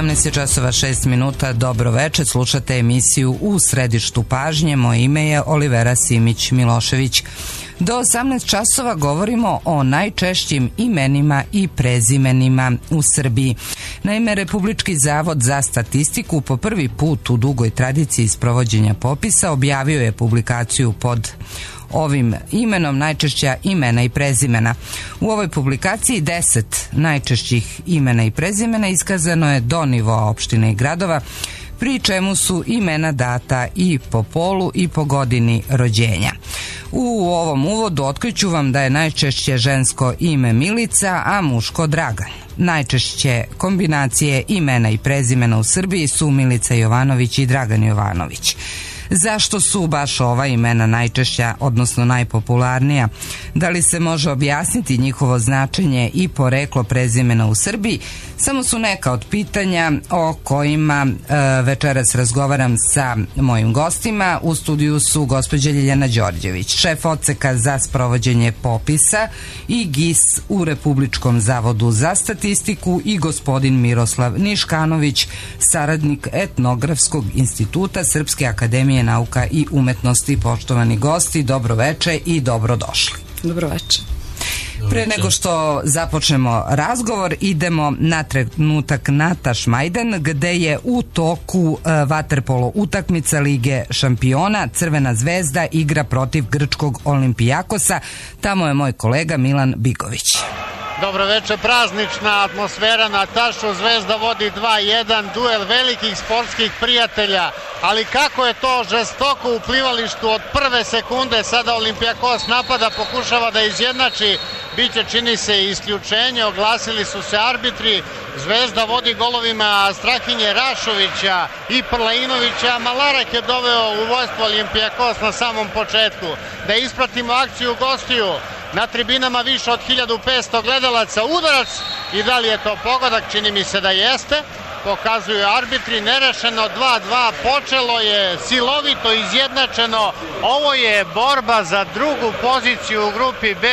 18:06. Dobro večer, slušate emisiju U središtu pažnje. Moje ime je Olivera Simić-Milošević. Do 18 časova govorimo o najčešćim imenima i prezimenima u Srbiji. Naime, Republički zavod za statistiku po prvi put u dugoj tradiciji sprovođenja popisa objavio je publikaciju pod ovim imenom najčešća imena i prezimena. U ovoj publikaciji 10 najčešćih imena i prezimena iskazano je do nivoa opština i gradova, pri čemu su imena data i po polu i po godini rođenja. U ovom uvodu otkriću vam da je najčešće žensko ime Milica, a muško Dragan. Najčešće kombinacije imena i prezimena u Srbiji su Milica Jovanović i Dragan Jovanović. Zašto su baš ova imena najčešća, odnosno najpopularnija? Da li se može objasniti njihovo značenje i poreklo prezimena u Srbiji? Samo su neka od pitanja o kojima večeras razgovaram sa mojim gostima. U studiju su gospođa Ljiljana Đorđević, šef odseka za sprovođenje popisa i GIS u Republičkom zavodu za statistiku, i gospodin Miroslav Niškanović, saradnik Etnografskog instituta Srpske akademije nauka i umetnosti. Poštovani gosti, dobro veče i dobrodošli. Dobro veče. Pre nego što započnemo razgovor, idemo na trenutak na Tašmajdan, gde je u toku vaterpolo utakmica Lige šampiona. Crvena zvezda igra protiv grčkog Olimpijakosa. Tamo je moj kolega Milan Bigović. Dobro večer, praznična atmosfera na Tašu, Zvezda vodi 2-1, duel velikih sportskih prijatelja, ali kako je to žestoko u plivalištu od prve sekunde. Sada Olimpijakos napada, pokušava da izjednači, biće čini se isključenje, oglasili su se arbitri. Zvezda vodi golovima Strahinje Rašovića i Prlainovića. Malarak je doveo u vojstvo Olimpijakos na samom početku. Da ispratimo akciju gostiju. Na tribinama više od 1500 gledalaca, udarac, i da li je to pogodak? Čini mi se da jeste. Pokazuju arbitri, nerešeno 2-2, počelo je silovito, izjednačeno. Ovo je borba za drugu poziciju u grupi B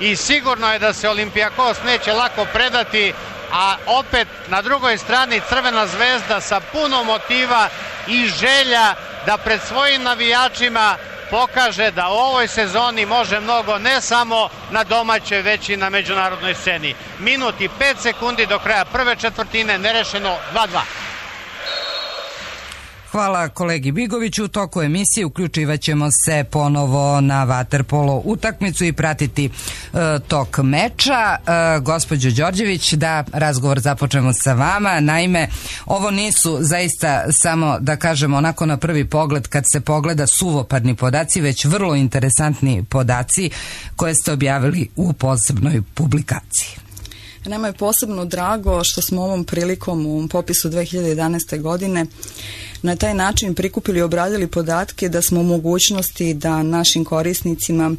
i sigurno je da se Olimpijakos neće lako predati, a opet na drugoj strani Crvena zvezda sa puno motiva i želja da pred svojim navijačima pokaže da u ovoj sezoni može mnogo, ne samo na domaćoj, već i na međunarodnoj sceni. Minut i 5 sekundi do kraja prve četvrtine, nerešeno 2-2. Hvala kolegi Bigoviću. U toku emisije uključivat ćemo se ponovo na vaterpolo utakmicu i pratiti tok meča. Gospođo Đorđević, da razgovor započnemo sa vama. Naime, ovo nisu zaista samo, da kažemo, onako na prvi pogled kad se pogleda suvoparni podaci, već vrlo interesantni podaci koje ste objavili u posebnoj publikaciji. Nama je posebno drago što smo ovom prilikom u popisu 2011. godine na taj način prikupili i obradili podatke da smo u mogućnosti da našim korisnicima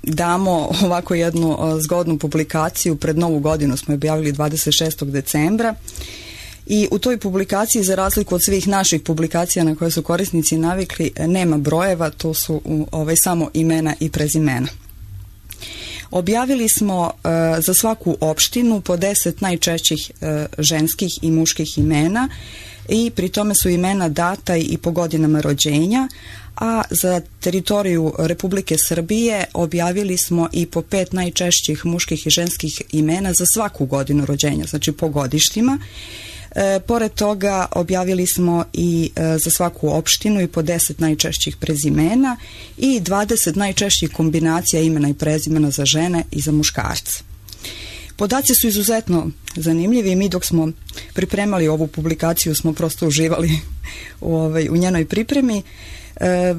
damo ovako jednu zgodnu publikaciju. Pred Novu godinu smo objavili 26. decembra i u toj publikaciji, za razliku od svih naših publikacija na koje su korisnici navikli, nema brojeva, to su samo imena i prezimena. Objavili smo za svaku opštinu po 10 najčešćih ženskih i muških imena, i pri tome su imena data i po godinama rođenja, a za teritoriju Republike Srbije objavili smo i po 5 najčešćih muških i ženskih imena za svaku godinu rođenja, znači po godištima. Pored toga objavili smo i za svaku opštinu i po 10 najčešćih prezimena i 20 najčešćih kombinacija imena i prezimena za žene i za muškarce. Podaci su izuzetno zanimljivi i mi dok smo pripremali ovu publikaciju smo prosto uživali u njenoj pripremi.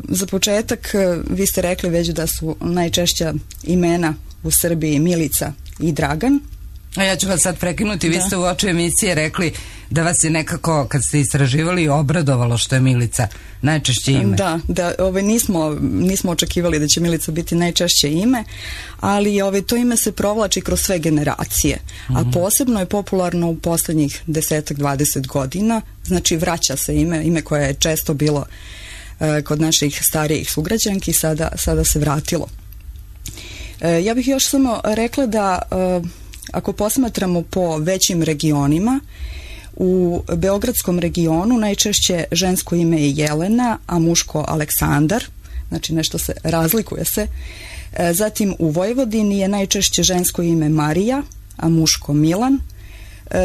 Za početak, vi ste rekli već da su najčešća imena u Srbiji Milica i Dragan. A ja ću vas sad prekinuti, vi ste u oči emisije rekli da vas je nekako, kad ste istraživali, obradovalo što je Milica najčešće ime. Da, nismo očekivali da će Milica biti najčešće ime, ali to ime se provlači kroz sve generacije, a posebno je popularno u poslednjih 10-20 godina, znači vraća se ime koje je često bilo kod naših starijih sugrađanki, sada se vratilo. Ja bih još samo rekla da ako posmatramo po većim regionima, U beogradskom regionu najčešće žensko ime je Jelena, a muško Aleksandar, znači nešto se razlikuje se. Zatim u Vojvodini je najčešće žensko ime Marija, a muško Milan,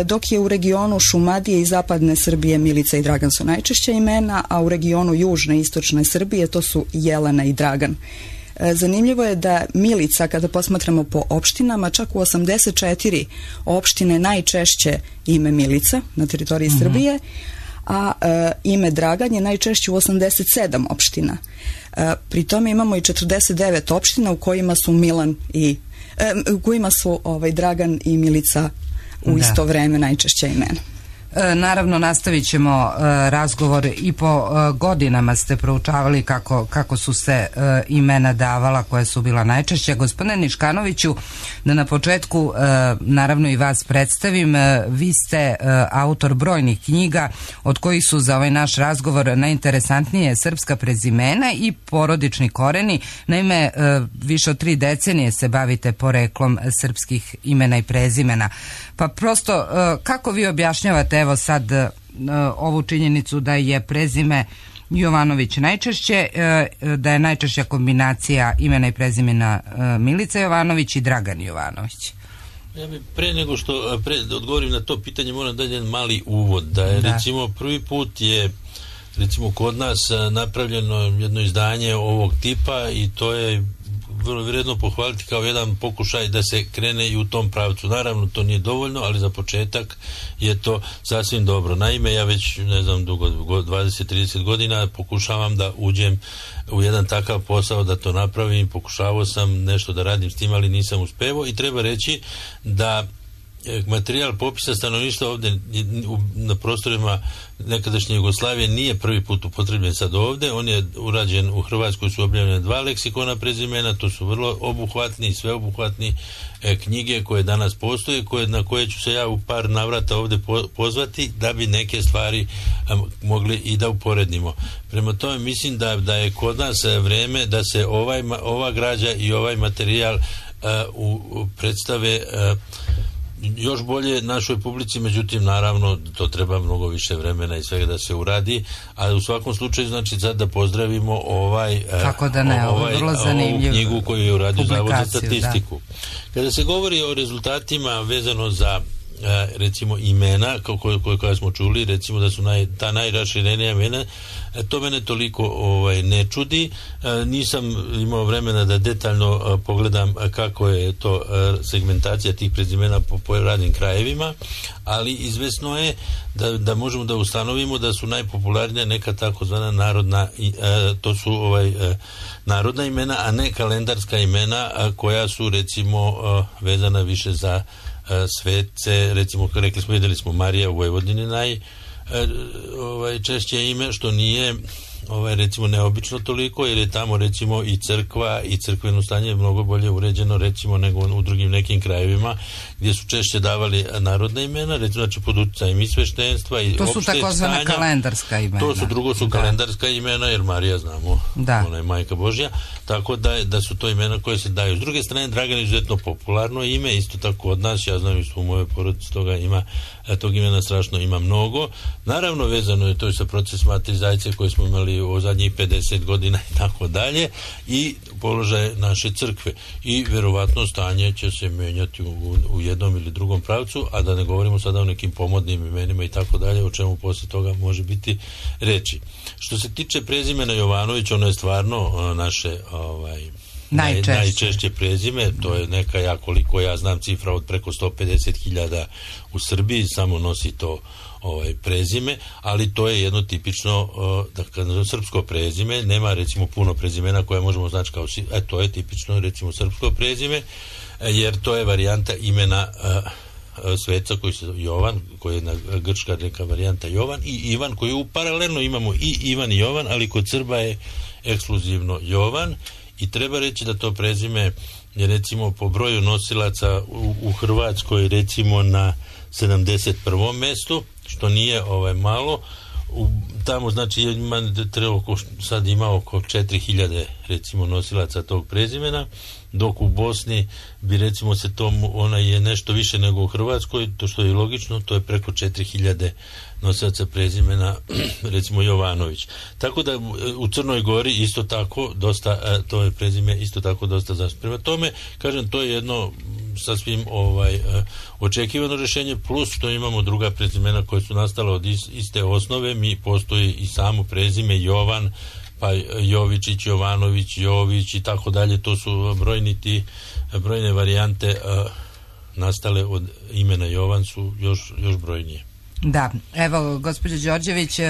dok je u regionu Šumadije i zapadne Srbije Milica i Dragan su najčešća imena, a u regionu južne i istočne Srbije to su Jelena i Dragan. Zanimljivo je da Milica, kada posmatramo po opštinama, čak u 84 opštine najčešće ime Milica na teritoriji Srbije, a ime Dragan je najčešće u 87 opština. Pri tome imamo i 49 opština u kojima su Dragan i Milica u isto vreme najčešća imena. Naravno, nastavit ćemo razgovor i po godinama ste proučavali kako su se imena davala koja su bila najčešća. Gospodine Niškanoviću, da na početku naravno i vas predstavim, vi ste autor brojnih knjiga od kojih su za ovaj naš razgovor najinteresantnije srpska prezimena i porodični koreni. Naime, više od 3 decenije se bavite poreklom srpskih imena i prezimena. Pa prosto, kako vi objašnjavate evo sad ovu činjenicu da je prezime Jovanović najčešće, da je najčešća kombinacija imena i prezimena Milica Jovanović i Dragan Jovanović? Ja bih pre nego što odgovorim na to pitanje moram dati jedan mali uvod, da je recimo prvi put je recimo kod nas napravljeno jedno izdanje ovog tipa i to je vrlo vredno pohvaliti kao jedan pokušaj da se krene i u tom pravcu. Naravno, to nije dovoljno, ali za početak je to sasvim dobro. Naime, ja već, ne znam, dugo, 20-30 godina pokušavam da uđem u jedan takav posao, da to napravim. Pokušavao sam nešto da radim s tim, ali nisam uspevao i treba reći da materijal popisa stanovništva ovdje na prostorima nekadašnje Jugoslavije nije prvi put upotrebljen sad ovdje. On je urađen u Hrvatskoj, su objavljene 2 leksikona prezimena, to su vrlo obuhvatni i sveobuhvatni knjige koje danas postoje, na koje ću se ja u par navrata ovdje pozvati da bi neke stvari mogli i da uporednimo. Prema tome mislim da je kod nas vreme da se ova građa i ovaj materijal predstave još bolje našoj publici, međutim naravno to treba mnogo više vremena i svega da se uradi, ali u svakom slučaju znači sad da pozdravimo ovu knjigu koju je uradio Zavod za statistiku. Kada se govori o rezultatima vezano za recimo imena koja smo čuli, recimo da su ta najraširenija imena, to mene toliko ne čudi. Nisam imao vremena da detaljno pogledam kako je to segmentacija tih prezimena po radnim krajevima, ali izvesno je da možemo da ustanovimo da su najpopularnija neka takozvana narodna, to su narodna imena, a ne kalendarska imena koja su recimo vezana više za svece, recimo rekli smo, vidjeli smo Marija u Vojvodini češće ime, što nije recimo neobično toliko, jer je tamo recimo i crkva i crkveno stanje je mnogo bolje uređeno recimo nego u drugim nekim krajevima gdje su češće davali narodna imena, recimo znači pod utjecajem i sveštenstva i opšte stanja. To su takozvana kalendarska imena. Drugo su kalendarska imena, jer Marija znamo, ona je majka Božja, tako da su to imena koje se daju. S druge strane, Dragan je izuzetno popularno ime, isto tako od nas, ja znam isto u mojoj porodici tog imena strašno ima mnogo. Naravno, vezano je to i sa proces Mate Zajce koji smo imali o zadnjih 50 godina i tako dalje, i položaj naše crkve. I verovatno stanje će se menjati u jednom ili drugom pravcu, a da ne govorimo sada o nekim pomodnim imenima i tako dalje, o čemu poslije toga može biti reči. Što se tiče prezimena Jovanović, ono je stvarno naše najčešće prezime, to je neka, koliko ja znam, cifra od preko 150.000 u Srbiji samo nosi to prezime, ali to je jedno tipično srpsko prezime. Nema recimo puno prezimena koje možemo znači kao to je tipično recimo srpsko prezime, jer to je varijanta imena sveca koji se Jovan, koji je grčka neka varijanta Jovan, i Ivan, koji paralelno imamo i Ivan i Jovan, ali kod Srba je ekskluzivno Jovan. I treba reći da to prezime je recimo po broju nosilaca u Hrvatskoj recimo na 71. mjestu, što nije malo. Tamo znači sad ima oko 4000 recimo nosilaca tog prezimena, dok u Bosni bi recimo se to, ona je nešto više nego u Hrvatskoj, to što je logično, to je preko 4000 nosilaca prezimena, recimo Jovanović. Tako da u Crnoj Gori isto tako dosta, to je prezime isto tako dosta zaštitno. Prema tome, kažem, to je jedno sasvim očekivano rješenje, plus što imamo druga prezimena koja su nastala od iste osnove. Mi postoji i samo prezime Jovan, pa Jovičić, Jovanović, Jović i tako dalje. To su brojne varijante nastale od imena Jovan su još brojnije. Da, evo gospođo Đorđević,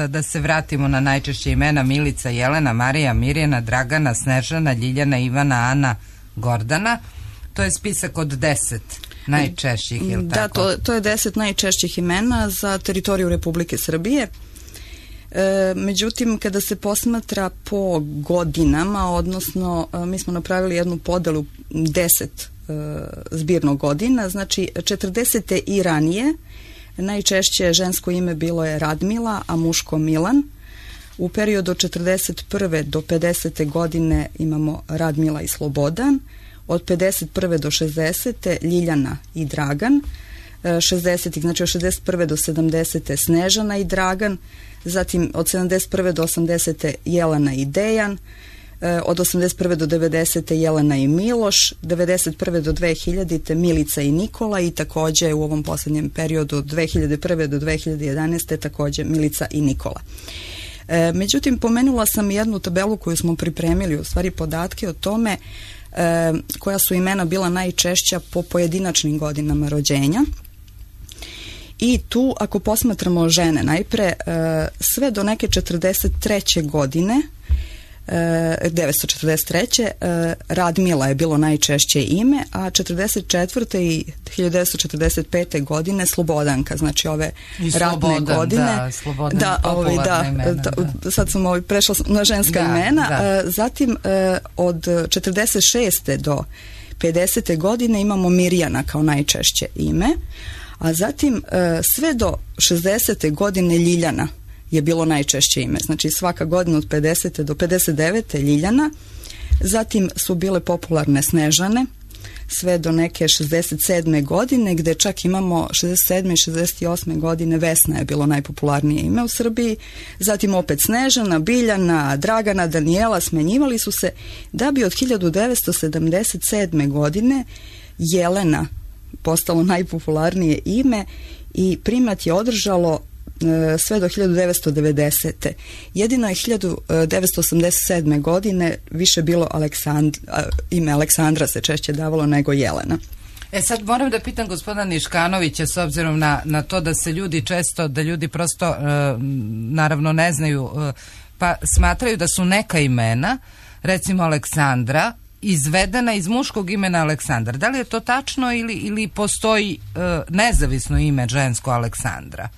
da se vratimo na najčešće imena: Milica, Jelena, Marija, Mirjana, Dragana, Snežana, Ljiljana, Ivana, Ana, Gordana. To je spisak od 10 najčešćih, je li tako? Da, to je 10 najčešćih imena za teritoriju Republike Srbije. Međutim, kada se posmatra po godinama, odnosno mi smo napravili jednu podelu 10 zbirno godina, znači 40. i ranije najčešće žensko ime bilo je Radmila, a muško Milan. U periodu od 41. do 50. godine imamo Radmila i Slobodan. Od 51. do 60. Ljiljana i Dragan. 60. znači od 61. do 70. Snežana i Dragan. Zatim od 71. do 80. Jelena i Dejan. Od 81. do 90. Jelena i Miloš, 91. do 2000. Milica i Nikola i također u ovom posljednjem periodu od 2001. do 2011. također Milica i Nikola. Međutim, pomenula sam jednu tabelu koju smo pripremili, u stvari podatke o tome koja su imena bila najčešća po pojedinačnim godinama rođenja. I tu, ako posmatramo žene najpre, sve do neke 43. godine, 1943. Radmila je bilo najčešće ime, a 44. i 1945. godine Slobodanka, znači ove ratne godine. Sad sam prešla na ženska imena. Zatim od 46. do 50. godine imamo Mirjana kao najčešće ime, a zatim sve do 60. godine Ljiljana je bilo najčešće ime. Znači svaka godina od 50. do 59. Ljiljana. Zatim su bile popularne Snežane sve do neke 67. godine, gde čak imamo 67. i 68. godine Vesna je bilo najpopularnije ime u Srbiji. Zatim opet Snežana, Biljana, Dragana, Danijela smenjivali su se, da bi od 1977. godine Jelena postalo najpopularnije ime i primat je održalo sve do 1990. Jedino je 1987. godine više bilo ime Aleksandra se češće davalo nego Jelena. Sad moram da pitam gospodina Niškanovića, s obzirom na to da se ljudi često, da ljudi prosto naravno ne znaju, pa smatraju da su neka imena, recimo Aleksandra, izvedena iz muškog imena Aleksandar. Da li je to tačno ili postoji nezavisno ime žensko Aleksandra?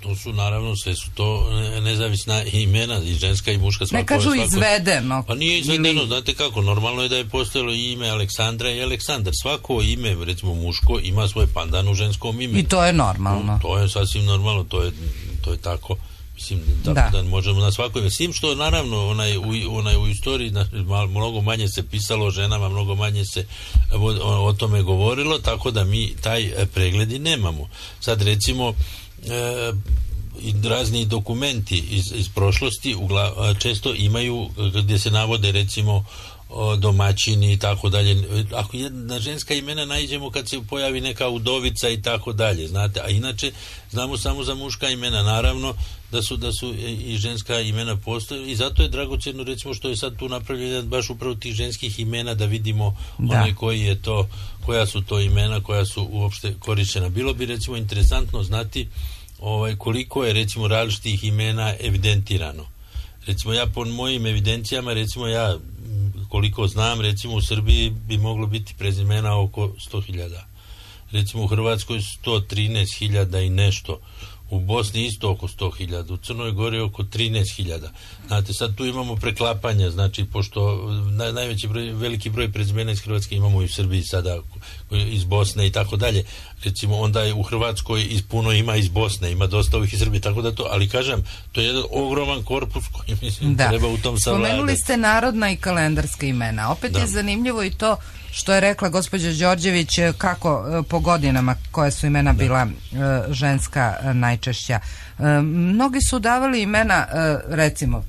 To su naravno, sve su to nezavisna imena, i ženska i muška. Ne kažu izvedeno. Pa nije izvedeno, znate kako, normalno je da je postojalo i ime Aleksandra i Aleksandar. Svako ime, recimo muško, ima svoj pandan u ženskom imenu. I to je normalno. To je sasvim normalno, to je tako. Mislim, da možemo na svako ime. Sim što naravno onaj u istoriji mnogo manje se pisalo o ženama, mnogo manje se o tome govorilo, tako da mi taj pregled i nemamo. Sad recimo i razni dokumenti iz prošlosti često imaju gdje se navode recimo domaćini i tako dalje. Ako jedna ženska imena naiđemo kad se pojavi neka udovica i tako dalje, znate, a inače znamo samo za muška imena. Naravno da su i ženska imena postoje i zato je dragocjeno recimo što je sad tu napravljeno baš upravo tih ženskih imena da vidimo koja su to imena koja su uopšte korištena. Bilo bi recimo interesantno znati koliko je recimo različitih imena evidentirano. Recimo ja po mojim evidencijama, recimo ja koliko znam, recimo u Srbiji bi moglo biti prezimena oko 100.000. Recimo u Hrvatskoj 113.000 i nešto. u Bosni isto oko 100.000, u Crnoj Gori oko 13.000. Znate, sad tu imamo preklapanja, znači, pošto veliki broj prezimena iz Hrvatske imamo i u Srbiji sada, iz Bosne i tako dalje. Recimo, onda je u Hrvatskoj puno ima iz Bosne, ima dosta ovih iz Srbije, tako da to, ali kažem, to je jedan ogroman korpus koji mislim treba u tom savladati. Spomenuli ste narodna i kalendarska imena. Opet je zanimljivo i to što je rekla gospođa Đorđević, kako po godinama koja su imena bila ženska najčešća. Mnogi su davali imena, recimo,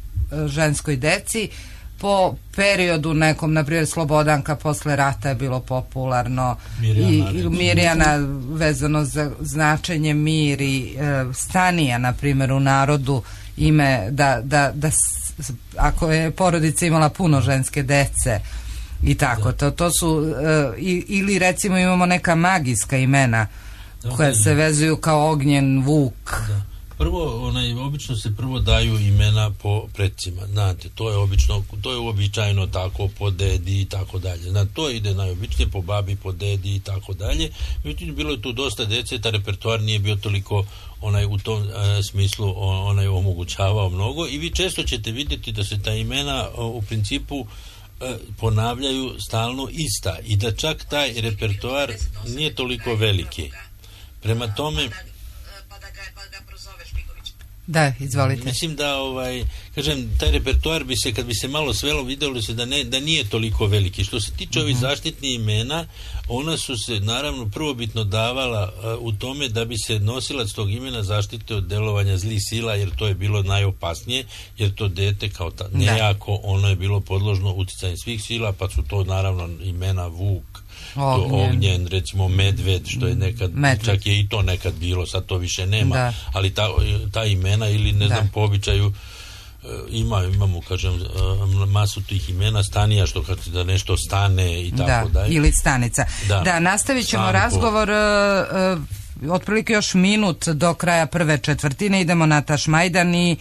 ženskoj deci po periodu nekom, na primjer Slobodanka posle rata je bilo popularno, Mirjana vezano za značenje mir, i Stanija, na primjer, u narodu ime da ako je porodica imala puno ženske dece i tako, to su ili recimo imamo neka magijska imena koja se vezuju kao Ognjen, Vuk. Prvo, obično se prvo daju imena po predsima, znate, to je uobičajeno tako, po dedi i tako dalje, znate, to ide najobičnije po babi, po dedi i tako dalje. Međutim, bilo je tu dosta dece, ta repertoar nije bio toliko u tom smislu omogućavao mnogo, i vi često ćete vidjeti da se ta imena u principu ponavljaju stalno ista i da čak taj repertoar nije toliko veliki. Prema tome, da, izvolite. Mislim da, kažem, taj repertoar bi se, kad bi se malo svelo, vidjelo se da nije toliko veliki. Što se tiče ovih zaštitnih imena, ona su se, naravno, prvobitno davala u tome da bi se nosilac tog imena zaštite od delovanja zlih sila, jer to je bilo najopasnije, jer to dete kao nejako, ono je bilo podložno uticanju svih sila, pa su to, naravno, imena Vuk, Ognjen, recimo Medved, što je nekad, čak je i to nekad bilo, sad to više nema, ali ta imena, ili ne znam, po običaju imamo, kažem, masu tih imena, Stanija, što kad da nešto stane i tako dalje. Ili Stanica. Da, nastavit ćemo razgovor otprilike još minut do kraja prve četvrtine. Idemo na Tašmajdan i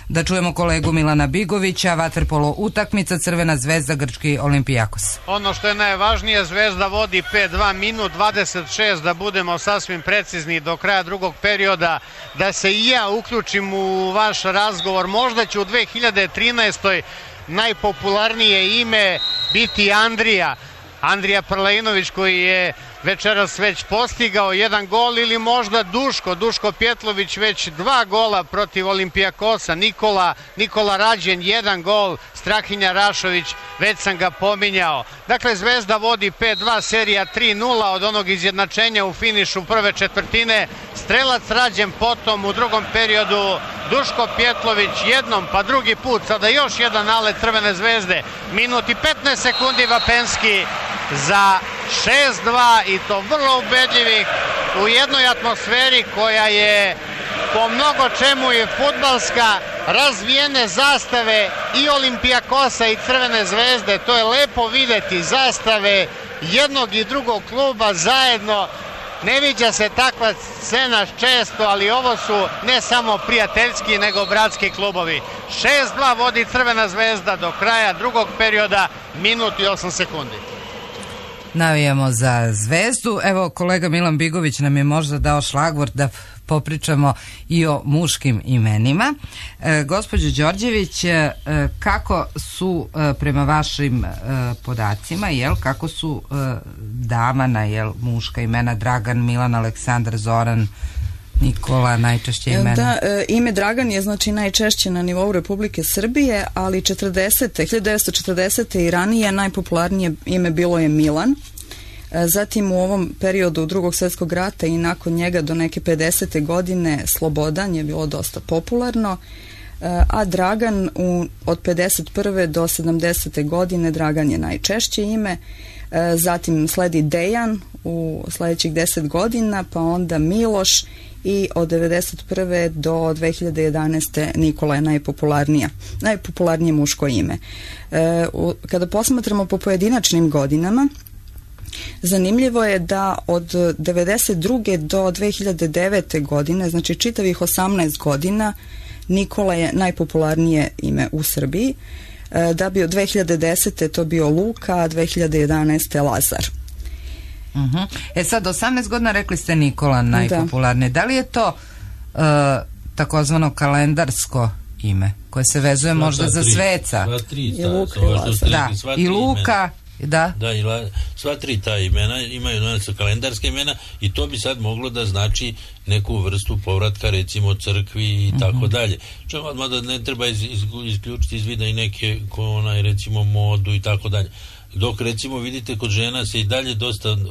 da čujemo kolegu Milana Bigovića. Vaterpolo utakmica, Crvena Zvezda, grčki Olimpijakos. Ono što je najvažnije, Zvezda vodi 5-2, minut 26, da budemo sasvim precizni, do kraja drugog perioda, da se i ja uključim u vaš razgovor. Možda će u 2013. najpopularnije ime biti Andrija Prlejnović, koji je večeras već postigao jedan gol, ili možda Duško Pjetlović već 2 gola protiv Olimpijakosa, Nikola Rađen 1 gol, Strahinja Rašović, već sam ga pominjao. Dakle, Zvezda vodi 5-2, serija 3-0 od onog izjednačenja u finišu prve četvrtine. Strelac Rađen, potom u drugom periodu Duško Pjetlović jednom, pa drugi put, sada još jedan nalet Crvene Zvezde. Minut i 15 sekundi Vapenski za 6-2, i to vrlo ubedljivih, u jednoj atmosferi koja je po mnogo čemu i fudbalska, razvijene zastave i Olimpijakosa i Crvene Zvezde. To je lepo videti, zastave jednog i drugog kluba zajedno. Ne viđa se takva scena često, ali ovo su ne samo prijateljski, nego bratski klubovi. 6-2 vodi Crvena Zvezda do kraja drugog perioda, minut i 8 sekundi. Navijamo za Zvezdu. Evo, kolega Milan Bigović nam je možda dao šlagvort da popričamo i o muškim imenima. Gospođo Đorđević, kako su prema vašim podacima, kako su davana muška imena? Dragan, Milan, Aleksandar, Zoran, Nikola, najčešće imena? Da, ime Dragan je znači najčešće na nivou Republike Srbije, ali 1940. i ranije najpopularnije ime bilo je Milan. Zatim u ovom periodu Drugog svjetskog rata i nakon njega do neke 50. godine Slobodan je bilo dosta popularno, a Dragan od 51. do 70. godine Dragan je najčešće ime. Zatim sledi Dejan u sljedećih 10 godina, pa onda Miloš, i od 1991. do 2011. Nikola je najpopularnije muško ime. Kada posmatramo po pojedinačnim godinama, zanimljivo je da od 1992. do 2009. godine, znači čitavih 18 godina, Nikola je najpopularnije ime u Srbiji, da bi od 2010. to bio Luka, a 2011. Lazar. Sad, 18 godina rekli ste Nikola najpopularnije. Da li je to takozvano kalendarsko ime koje se vezuje možda za sveca i Luka. Da, sva tri ta imena imaju kalendarske imena i to bi sad moglo da znači neku vrstu povratka recimo crkvi i tako dalje. Mada ne treba isključiti iz vida i neke recimo modu i tako dalje. Dok recimo vidite kod žena se i dalje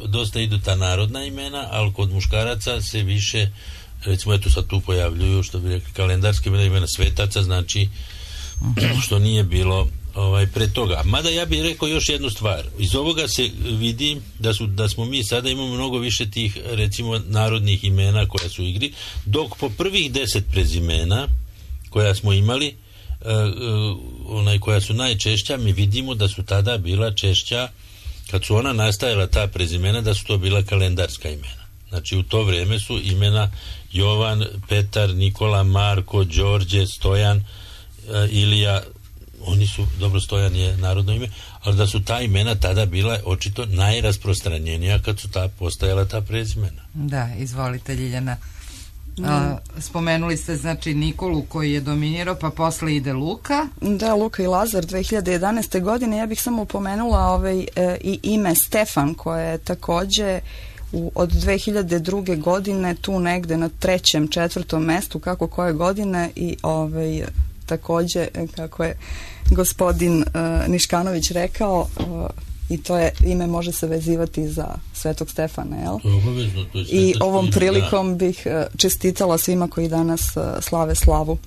dosta idu ta narodna imena, ali kod muškaraca se više recimo eto sad tu pojavljuju što bi rekli kalendarske imena svetaca, znači što nije bilo pre toga. Mada ja bih rekao još jednu stvar. Iz ovoga se vidi da smo mi sada imamo mnogo više tih recimo narodnih imena koja su u igri, dok po prvih 10 prezimena koja smo imali koja su najčešća, mi vidimo da su tada bila češća kad su ona nastajala ta prezimena, da su to bila kalendarska imena. Znači u to vrijeme su imena Jovan, Petar, Nikola, Marko, Đorđe, Stojan, Ilija, oni su, dobro, Stojan je narodno ime, ali da su ta imena tada bila očito najrasprostranjenija kad su postajala ta prezimena. Da, izvolite Ljiljana. Spomenuli ste znači Nikolu koji je dominirao, pa posle ide Luka. Da, Luka i Lazar 2011. godine. Ja bih samo upomenula i ime Stefan koje je takođe od 2002. godine tu negde na 3., 4. mestu kako koje godine i takođe kako je gospodin Niškanović rekao i to je ime može se vezivati za Svetog Stefana, jel? I ovom prilikom bih čestitala svima koji danas slave slavu.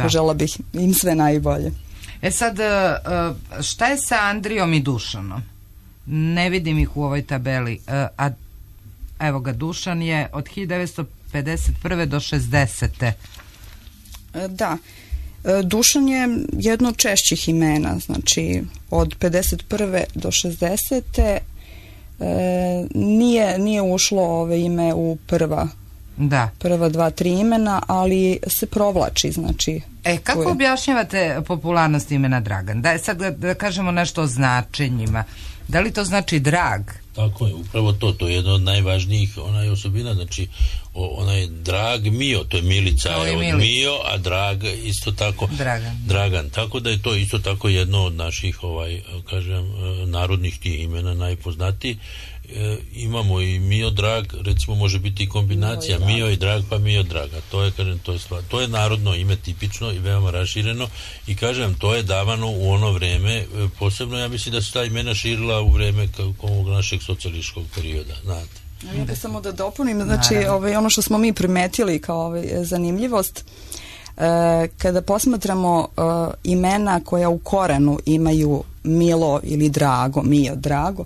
Požela bih im sve najbolje. Sad, šta je sa Andrijom i Dušanom? Ne vidim ih u ovoj tabeli. A evo ga, Dušan je od 1951. do 60. Da. Dušan je jedno od češćih imena, znači od 51. do 60. Nije ušlo ove ime u prva 2, 3 imena, ali se provlači, znači. Kako objašnjavate popularnost imena Dragan? Da je sad da kažemo nešto o značenjima. Da li to znači drag? Tako je, upravo to je jedna od najvažnijih osobina, znači onaj drag Mio, to je Milica je od Mio, a drag isto tako Dragan, tako da je to isto tako jedno od naših narodnih tih imena najpoznatiji. Imamo i Mio drag, recimo može biti i kombinacija Mio i drag pa Mio draga, to je narodno ime tipično i veoma rašireno i kažem, to je davano u ono vreme, posebno ja mislim da se ta imena širila u vreme ovog našeg socijalističkog perioda, znate. Ja bih samo da dopunim, znači ono što smo mi primetili kao zanimljivost, kada posmatramo imena koja u korenu imaju Milo ili Drago, Mio, Drago,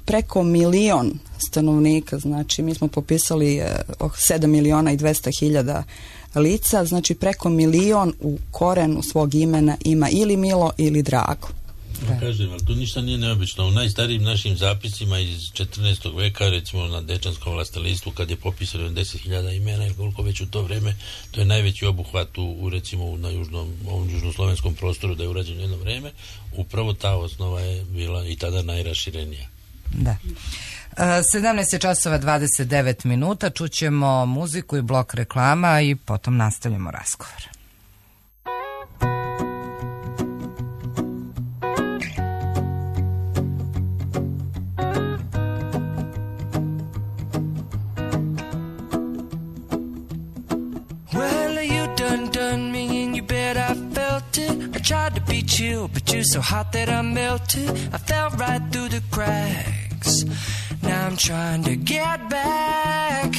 preko 1 milion stanovnika, znači mi smo popisali 7.200.000 lica, znači preko 1 milion u korenu svog imena ima ili Milo ili Drago. Kažem, ali tu ništa nije neobično. U najstarijim našim zapisima iz 14. veka, recimo na Dečanskom vlastelistvu, kad je popisano 10.000 imena ili koliko već u to vreme, to je najveći obuhvat recimo na ovom južnoslovenskom prostoru da je urađeno jedno vreme, upravo ta osnova je bila i tada najraširenija. Da. 17:29, čućemo muziku i blok reklama i potom nastavljamo razgovor. Tried to beat you, but you're so hot that I melted. I fell right through the cracks. Now I'm trying to get back.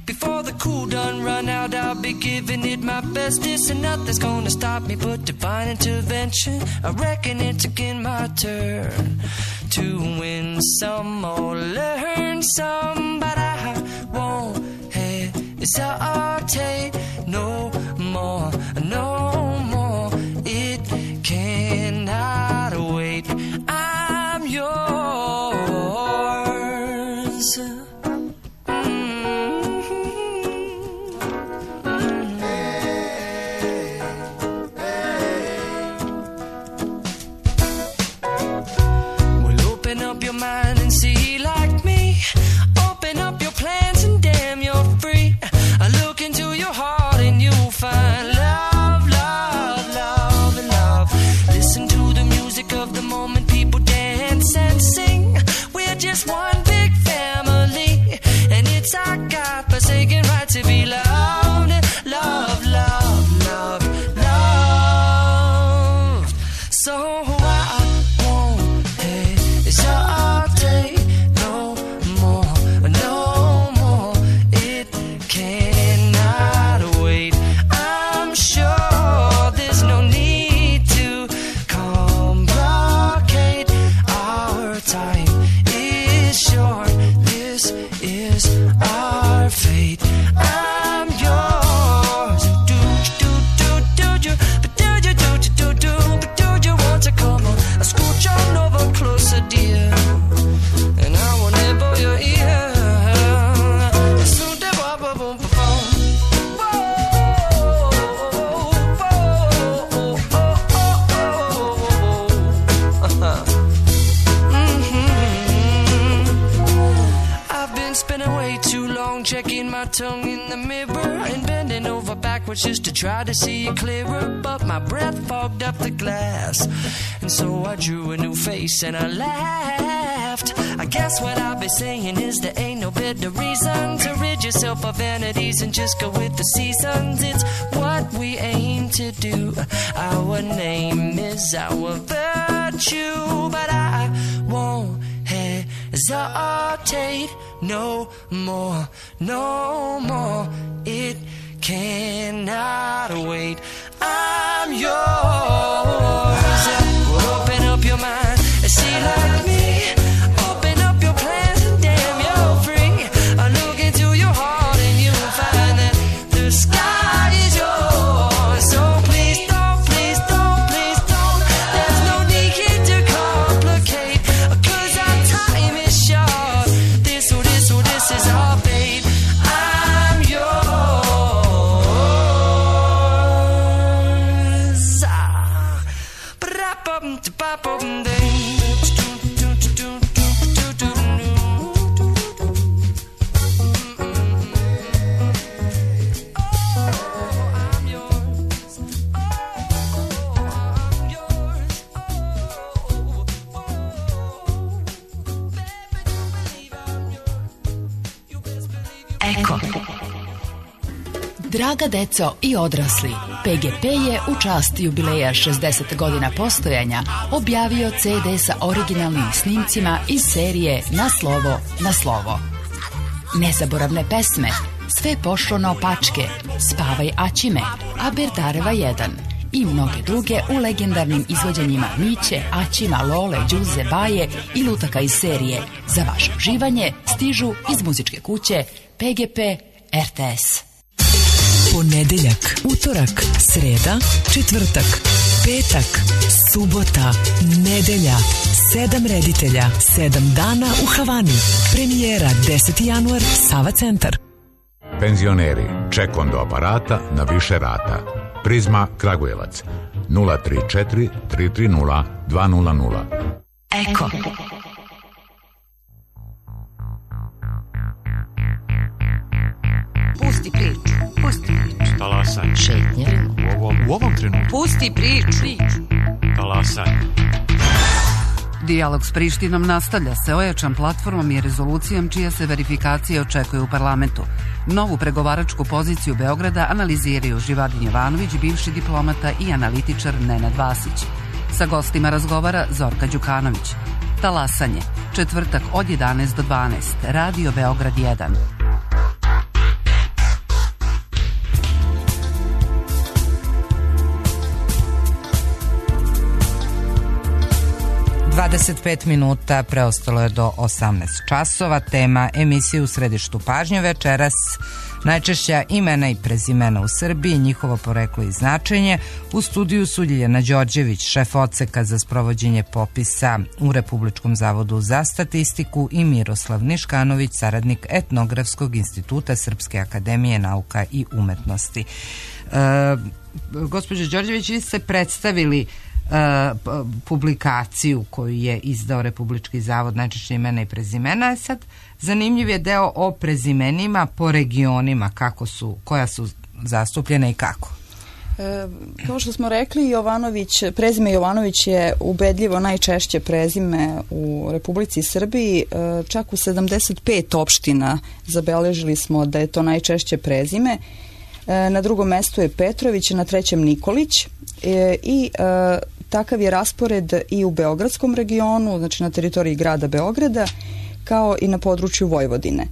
Before the cool done run out, I'll be giving it my bestest, and nothing's gonna stop me but divine intervention. I reckon it's again my turn to win some or learn some, but I won't hesitate no more, no more. It cannot wait. I'm yours. Well, open up your mind and see like me. wrong, checking my tongue in the mirror and bending over backwards just to try to see it clearer. But my breath fogged up the glass, and so I drew a new face and I laughed. I guess what I'll be saying is there ain't no better reason to rid yourself of vanities and just go with the seasons. It's what we aim to do. Our name is our virtue, but I won't hesitate no more, no more. It cannot wait. I'm yours. Open up your mind and see like me. Open up your plans and damn, you're free. I look into your heart and you'll find that the sky is yours. So please don't, please don't, please don't. There's no need here to complicate, 'cause our time is short. This is our fate. I'm yours. Eko. Draga deco i odrasli, PGP je u čast jubileja 60 godina postojanja objavio CD sa originalnim snimcima iz serije Na slovo, na slovo. Nezaboravne pesme, Sve pošlo naopačke, Spavaj Aćime, Aberdareva 1 i mnoge druge u legendarnim izvođenjima Miće, Aćima, Lole, Đuze, Baje i lutaka iz serije. Za vaše uživanje stižu iz muzičke kuće PGP RTS. Ponedeljak, utorak, sreda, četvrtak, petak, subota, nedelja, 7 reditelja, 7 dana u Havani. Premijera 10. januar, Sava centar. Penzioneri, ček do aparata na više rata. Prizma Kragujevac 034 330 200. Eko. Pusti priču. Pusti priču. Talasanje. Šetnje. U ovom trenutku. Pusti priču. Talasanje. Dijalog s Prištinom nastavlja se ojačan platformom i rezolucijom čija se verifikacija očekuje u parlamentu. Novu pregovaračku poziciju Beograda analiziraju Živadin Jovanović, bivši diplomata i analitičar Nenad Vasić. Sa gostima razgovara Zorka Đukanović. Talasanje, četvrtak od 11 do 12, Radio Beograd 1. 25 minuta preostalo je do 18 časova. Tema emisije u središtu pažnje večeras najčešća imena i prezimena u Srbiji, njihovo poreklo i značenje. U studiju su Ljiljana Đorđević, šef odseka za sprovođenje popisa u Republičkom zavodu za statistiku, i Miroslav Niškanović, saradnik Etnografskog instituta Srpske akademije nauka i umetnosti. Gospođo Đorđević, vi ste predstavili publikaciju koju je izdao Republički zavod najčešće imena i prezimena. Sad zanimljiv je deo o prezimenima po regionima, koja su zastupljena i kako. Kao što smo rekli, prezime Jovanović je ubedljivo najčešće prezime u Republici Srbiji. Čak u 75 opština zabeležili smo da je to najčešće prezime. Na drugom mestu je Petrović, na trećem Nikolić i takav je raspored i u Beogradskom regionu, znači na teritoriji grada Beograda, kao i na području Vojvodine.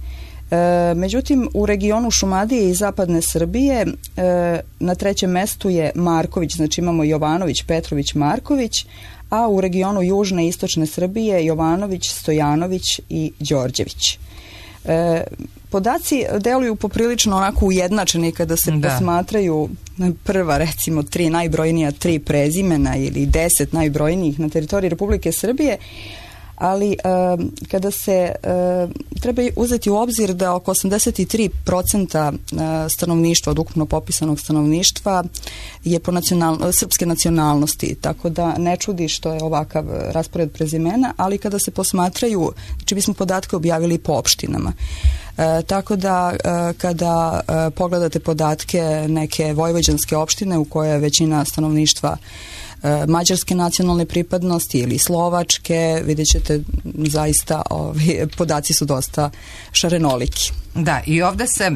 Međutim, u regionu Šumadije i Zapadne Srbije na trećem mestu je Marković, znači imamo Jovanović, Petrović, Marković, a u regionu Južne i Istočne Srbije Jovanović, Stojanović i Đorđević. Podaci deluju poprilično onako ujednačeni kada se posmatraju prva, recimo, 3 najbrojnija 3 prezimena ili 10 najbrojnijih na teritoriji Republike Srbije, ali kada se treba uzeti u obzir da oko 83% stanovništva, od ukupno popisanog stanovništva, je po srpske nacionalnosti, tako da ne čudi što je ovakav raspored prezimena, ali kada se posmatraju, znači mi smo podatke objavili po opštinama. Tako da kada pogledate podatke neke vojvođanske opštine u kojoj je većina stanovništva mađarske nacionalne pripadnosti ili slovačke, vidjet ćete zaista podaci su dosta šarenoliki. Da, i ovde se,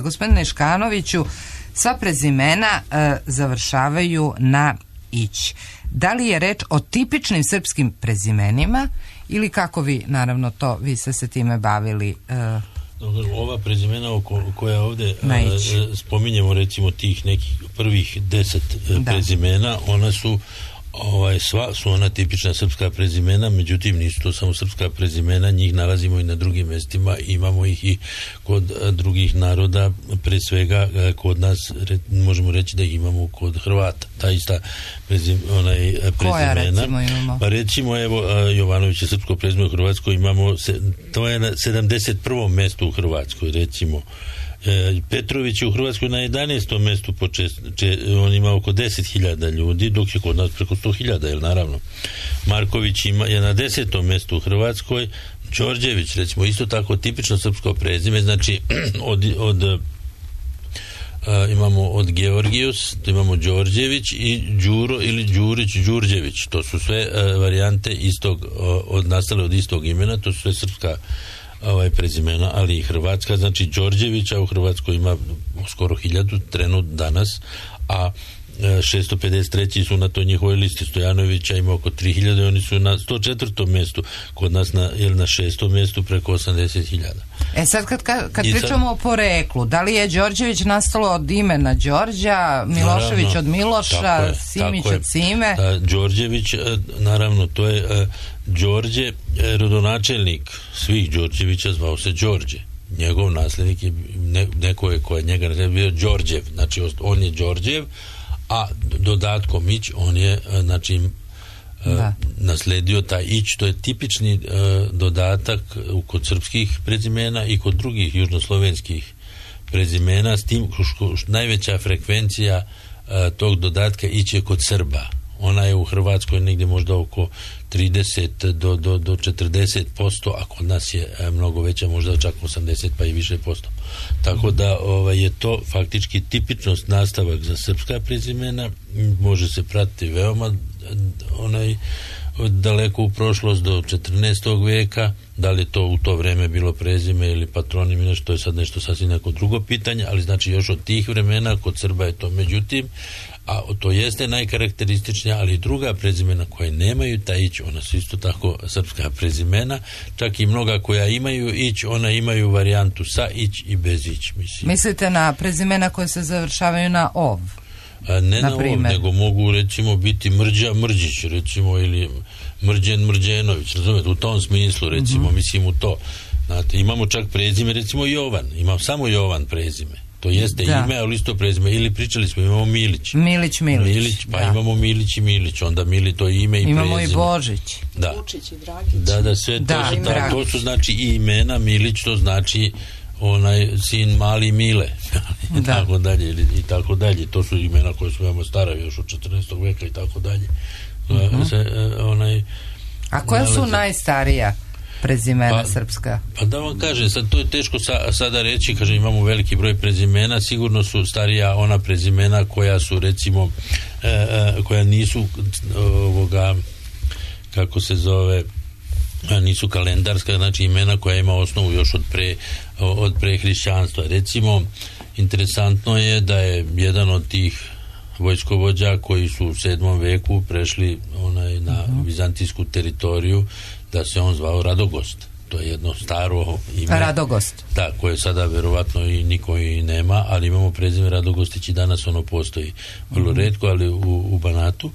gospodine Škanoviću, sva prezimena završavaju na ić. Da li je reč o tipičnim srpskim prezimenima ili kako vi, naravno to, vi ste se time bavili? Ova prezimena koja ovdje spominjemo, recimo tih nekih prvih 10 prezimena, ona su sva su ona tipična srpska prezimena, međutim nisu to samo srpska prezimena, njih nalazimo i na drugim mjestima, imamo ih i kod drugih naroda, pre svega kod nas možemo reći da ih imamo kod Hrvata, ta ista prezimena. Koja recimo imamo? Pa recimo evo Jovanović je srpsko prezime u Hrvatskoj, imamo to je na 71. mjestu u Hrvatskoj, recimo Petrović je u Hrvatskoj na 11. mjestu, on ima oko 10.000 ljudi, dok je kod nas preko 100.000, jel naravno. Marković je na 10. mjestu u Hrvatskoj. Đorđević, recimo, isto tako tipično srpsko prezime, znači imamo od Georgijus, imamo Đorđević i Đuro ili Đurić, Đurđević, to su sve varijante istog, nastale od istog imena, to su sve srpska prezimena, ali i hrvatska, znači Đorđevića u Hrvatskoj ima skoro 1000 trenut danas, a 653 su na toj njihovoj listi. Stojanovića ima oko 3000, oni su na 104. mjestu, kod nas na 6. mjestu preko 80.000. Sad kad pričamo o poreklu, da li je Đorđević nastalo od imena Đorđa, Milošević naravno, od Miloša, Simić od Sime? Đorđević, naravno, to je Đorđe, rodonačelnik svih Đorđevića zvao se Đorđe. Njegov nasljednik je neko je koji njega bio Đorđev, znači on je Đorđev, a dodatkom ić on je znači nasledio taj ić, to je tipični dodatak kod srpskih prezimena i kod drugih južnoslovenskih prezimena, s tim najveća frekvencija tog dodatka ić je kod Srba. Ona je u Hrvatskoj negdje možda oko 30 do 40%, a kod nas je mnogo veća, možda čak 80 pa i više posto. Tako da je to faktički tipičnost nastavak za srpska prezimena, može se pratiti veoma daleko u prošlost do 14. vijeka, da li je to u to vreme bilo prezime ili patronim ili nešto, je sad nešto sasvim neko drugo pitanje, ali znači još od tih vremena kod Srba je to. Međutim, a to jeste najkarakterističnija, ali druga prezimena koje nemaju taj ić, ona su isto tako srpska prezimena, čak i mnoga koja imaju ić, ona imaju varijantu sa ić i bez ić, mislim. Mislite na prezimena koje se završavaju na ov? Ne na ov, nego mogu recimo biti Mrđa Mrđić, recimo, ili Mrđen Mrđenović, razumete, u tom smislu, recimo, mislim u to. Znate, imamo čak prezime, recimo Jovan, imam samo Jovan prezime. To jeste ime, ali isto prezime. Ili pričali smo, imamo Milić. Milić, pa imamo Milić i Milić. Onda Mili to ime i prezime. Imamo i Božić. Da. Vučić i Dragić. Da, sve to su znači i imena. Milić to znači onaj sin mali Mile. I tako dalje. I tako dalje. To su imena koje su veoma stara, još od 14. veka i tako dalje. A koja su najstarija prezimena srpska? Pa da vam kažem, sad to je teško sada reći, kažem, imamo veliki broj prezimena, sigurno su starija ona prezimena koja su recimo koja nisu kako se zove, nisu kalendarska, znači imena koja ima osnovu još od pre hrišćanstva. Recimo, interesantno je da je jedan od tih vojskovođa koji su u 7. veku prešli na vizantijsku teritoriju, da se on zvao Radogost. To je jedno staro ime. Radogost. Da, koje sada verovatno i niko i nema, ali imamo prezime Radogostić i danas ono postoji vrlo retko, ali u Banatu.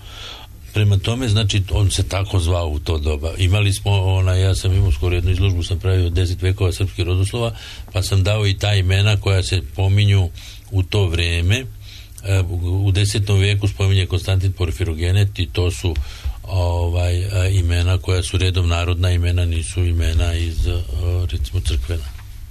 Prema tome, znači, on se tako zvao u to doba. Imali smo, ja sam imao skoro jednu izložbu, sam pravio 10 vekova srpskih rodoslova, pa sam dao i ta imena koja se pominju u to vreme. U 10. vijeku spominje Konstantin Porfirogenet i to su imena koja su redom narodna imena, nisu imena iz recimo crkvena.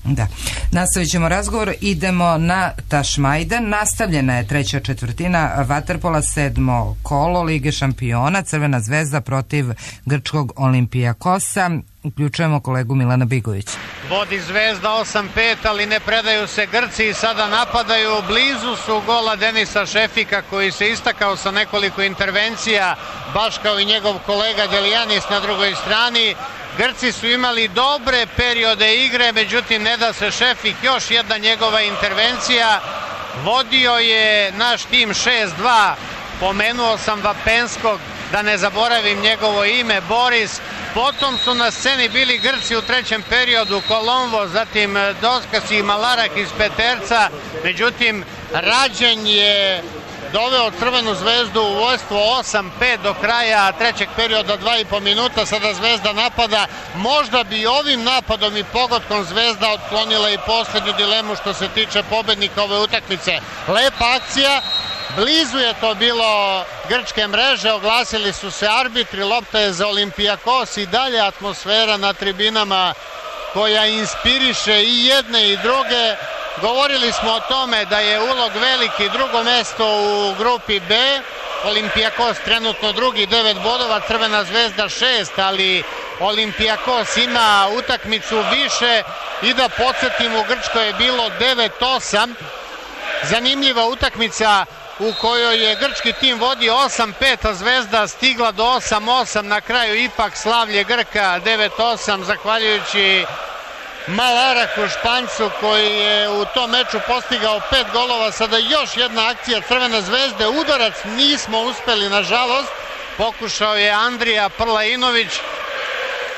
Da. Nastavit ćemo razgovor, idemo na Tašmajdan. Nastavljena je treća četvrtina vaterpola, 7. kolo Lige šampiona, Crvena zvezda protiv grčkog Olimpijakosa. Uključujemo kolegu Milana Bigovića. Vodi Zvezda 8-5, ali ne predaju se Grci i sada napadaju. Blizu su gola Denisa Šefika, koji se istakao sa nekoliko intervencija, baš kao i njegov kolega Delijanis na drugoj strani. Grci su imali dobre periode igre, međutim ne da se Šefik, još jedna njegova intervencija. Vodio je naš tim 6-2, pomenuo sam Vapenskog, da ne zaboravim njegovo ime, Boris. Potom su na sceni bili Grci u trećem periodu, Kolomvo, zatim Doskas i Malarak iz Peterca, međutim Rađen je doveo Crvenu zvezdu u vojstvo 8-5 do kraja trećeg perioda, 2,5 minuta, sada Zvezda napada. Možda bi ovim napadom i pogodkom Zvezda otklonila i posljednju dilemu što se tiče pobednika ove utakmice. Lepa akcija, blizu je to bilo grčke mreže, oglasili su se arbitri, lopta je za Olimpijakos i dalje atmosfera na tribinama koja inspiriše i jedne i druge. Govorili smo o tome da je ulog veliki, drugo mesto u grupi B, Olimpijakos trenutno drugi, 9 bodova, Crvena zvezda 6, ali Olimpijakos ima utakmicu više i da podsjetim, u Grčkoj je bilo 9-8, zanimljiva utakmica u kojoj je grčki tim vodio 8-5, a Zvezda stigla do 8-8, na kraju ipak slavlje Grka 9-8, zahvaljujući Malaraku, Španjcu, koji je u tom meču postigao 5 golova. Sada još jedna akcija Crvene zvezde, udarac nismo uspeli nažalost, pokušao je Andrija Prlainović.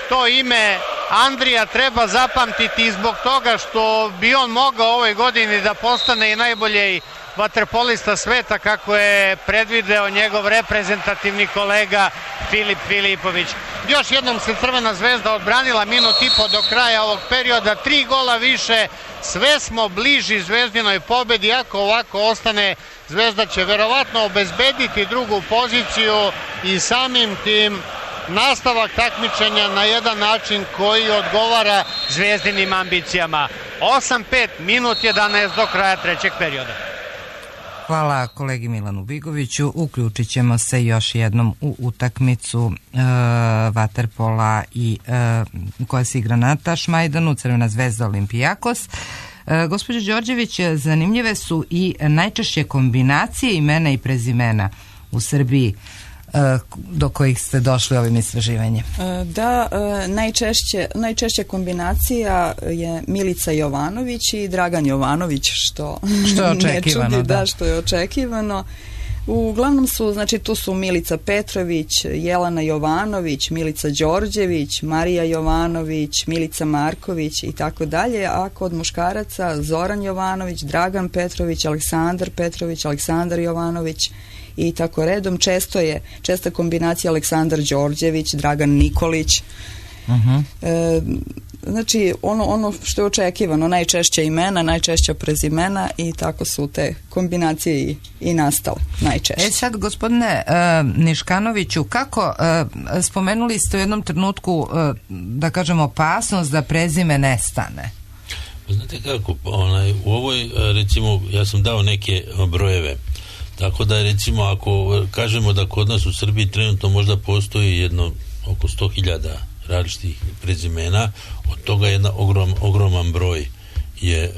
To ime Andrija treba zapamtiti zbog toga što bi on mogao ovoj godini da postane i najbolji vaterpolista sveta, kako je predvideo njegov reprezentativni kolega Filip Filipović. Još jednom se Crvena zvezda odbranila, minut i po do kraja ovog perioda, 3 gola više, sve smo bliži Zvezdinoj pobedi. Ako ovako ostane, Zvezda će verovatno obezbediti drugu poziciju i samim tim nastavak takmičenja na jedan način koji odgovara Zvezdinim ambicijama. 8-5, minut 11 do kraja trećeg perioda. Hvala kolegi Milanu Bigoviću. Uključit ćemo se još jednom u utakmicu vaterpola i koja se igra na Tašmajdanu, Crvena zvezda Olimpijakos. Gospođo Đorđević, zanimljive su i najčešće kombinacije imena i prezimena u Srbiji do kojih ste došli ovim istraživanjem. Da, najčešća kombinacija je Milica Jovanović i Dragan Jovanović, što je očekivano, ne čudi, da, što je očekivano. Uglavnom su, znači tu su Milica Petrović, Jelena Jovanović, Milica Đorđević, Marija Jovanović, Milica Marković i tako dalje, a kod muškaraca Zoran Jovanović, Dragan Petrović, Aleksandar Petrović, Aleksandar Jovanović i tako redom. Česta kombinacija Aleksandar Đorđević, Dragan Nikolić. Znači ono što je očekivano, najčešće imena, najčešća prezimena i tako su te kombinacije i nastale najčešće. Sad, gospodine Niškanoviću, kako spomenuli ste u jednom trenutku, da kažemo, opasnost da prezime nestane? Znate kako, u ovoj, recimo, ja sam dao neke brojeve. Tako da, recimo, ako kažemo da kod nas u Srbiji trenutno možda postoji jedno oko 100.000 različitih prezimena, od toga jedan ogroman broj je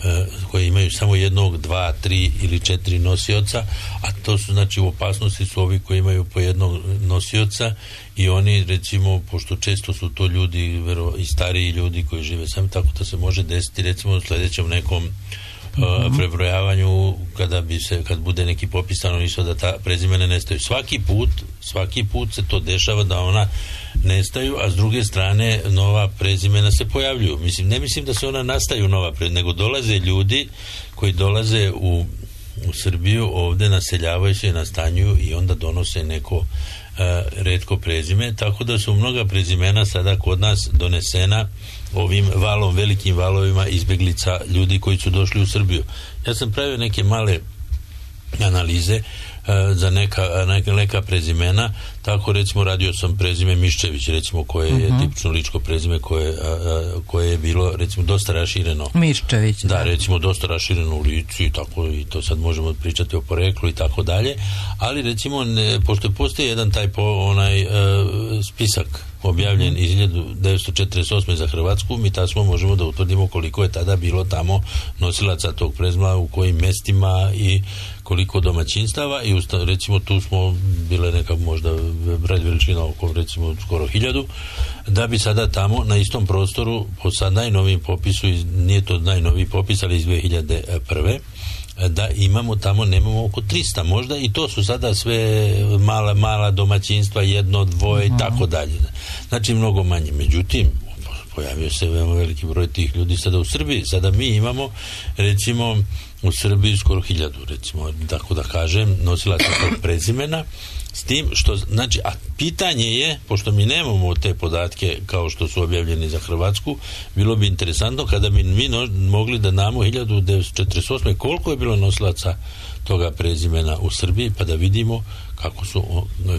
koji imaju samo jednog, 2, 3 ili 4 nosioca, a to su, znači, u opasnosti su ovi koji imaju po jednog nosioca i oni, recimo, pošto često su to ljudi i stariji ljudi koji žive sami, tako da se može desiti, recimo, u sljedećem nekom prebrojavanju, kad bude neki popis stanovništva, da ta prezimena nestaju. Svaki put se to dešava da ona nestaju, a s druge strane nova prezimena se pojavljuju. Ne mislim da se ona nastaju nova prezimena, nego dolaze ljudi koji dolaze u Srbiju, ovde naseljavaju se, nastanjuju i onda donose neko retko prezime, tako da su mnoga prezimena sada kod nas donesena ovim velikim valovima izbeglica ljudi koji su došli u Srbiju. Ja sam pravio neke male analize. za neka prezimena. Tako recimo radio sam prezime Miščević, recimo, koje je tipično ličko prezime koje je bilo recimo dosta rašireno. Miščević. Da, recimo dosta rašireno u licu i tako, i to sad možemo pričati o poreklu i tako dalje, ali recimo pošto postoji jedan taj spisak objavljen iz 1948. za Hrvatsku, mi tasmo možemo da utvrdimo koliko je tada bilo tamo nosilaca tog prezima, u kojim mestima i koliko domaćinstava, i recimo tu smo bile neka možda broj veličina oko recimo skoro 1000, da bi sada tamo na istom prostoru po sad najnovijim popisu, nije to najnoviji popis, ali iz 2001. da imamo tamo, nemamo oko 300 možda, i to su sada sve mala domaćinstva, 1, 2 i tako dalje. Znači mnogo manje. Međutim, pojavio se veoma veliki broj tih ljudi sada u Srbiji. Sada mi imamo recimo u Srbiji skoro 1000, recimo, tako da kažem, nosilaca tog prezimena, s tim što, znači, a pitanje je, pošto mi nemamo te podatke kao što su objavljeni za Hrvatsku, bilo bi interesantno kada bi mi mogli da damo 1948. koliko je bilo nosilaca toga prezimena u Srbiji, pa da vidimo